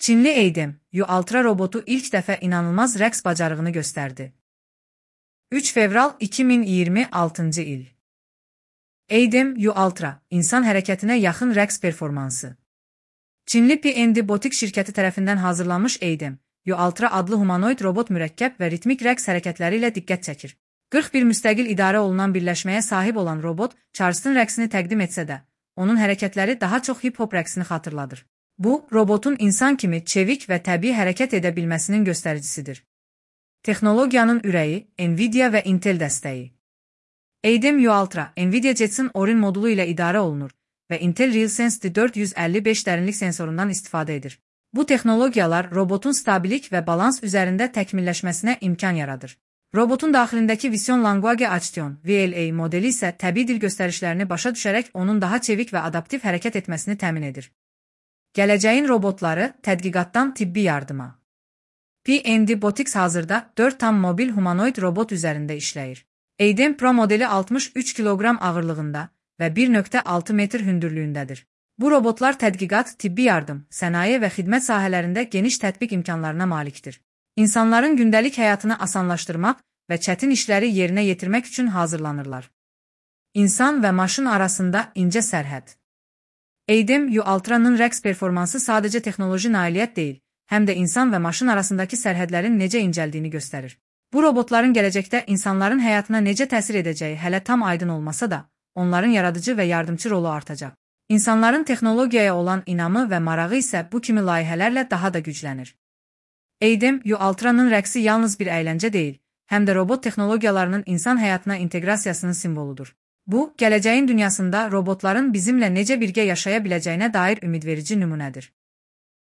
Çinli Eidem U-Ultra robotu ilk dəfə inanılmaz rəqs bacarığını göstərdi. 3 fevral 2026 il. Eidem U-Ultra, insan hərəkətinə yaxın rəqs performansı. Çinli P&D Botik şirkəti tərəfindən hazırlanmış Eidem U-Ultra adlı humanoid robot mürəkkəb və ritmik rəqs hərəkətləri ilə diqqət çəkir. 41 müstəqil idarə olunan birləşməyə sahib olan robot Charleston rəqsini təqdim etsə də, onun hərəkətləri daha çox hip-hop rəqsini xatırladır. Bu, robotun insan kimi çevik və təbii hərəkət edə bilməsinin göstəricisidir. Texnologiyanın ürəyi, Nvidia və Intel dəstəyi. Eidem U-Ultra, Nvidia Jetson Orin modulu ilə idarə olunur və Intel RealSense 455 dərinlik sensorundan istifadə edir. Bu texnologiyalar robotun stabilik və balans üzərində təkmilləşməsinə imkan yaradır. Robotun daxilindəki Vision Language Action (VLA) modeli isə təbii dil göstərişlərini başa düşərək onun daha çevik və adaptiv hərəkət etməsini təmin edir. Gələcəyin robotları tədqiqatdan tibbi yardıma. P&D Botics hazırda 4 tam mobil humanoid robot üzərində işləyir. Eidem Pro modeli 63 kiloqram ağırlığında və 1,6 metr hündürlüyündədir. Bu robotlar tədqiqat, tibbi yardım, sənaye və xidmət sahələrində geniş tətbiq imkanlarına malikdir. İnsanların gündəlik həyatını asanlaşdırmaq və çətin işləri yerinə yetirmək üçün hazırlanırlar. İnsan və maşın arasında incə sərhəd. Eidem U-Ultra'nın rəqs performansı sadəcə texnoloji nailiyyət deyil, həm də insan və maşın arasındakı sərhədlərin necə incəldiyini göstərir. Bu robotların gələcəkdə insanların həyatına necə təsir edəcəyi hələ tam aydın olmasa da, onların yaradıcı və yardımçı rolu artacaq. İnsanların texnologiyaya olan inamı və marağı isə bu kimi layihələrlə daha da güclənir. Eidem U-Ultra'nın rəqsi yalnız bir əyləncə deyil, həm də robot texnologiyalarının insan həyatına inteqrasiyasının simvoludur. Bu, gələcəyin dünyasında robotların bizimlə necə birgə yaşaya biləcəyinə dair ümidverici nümunədir.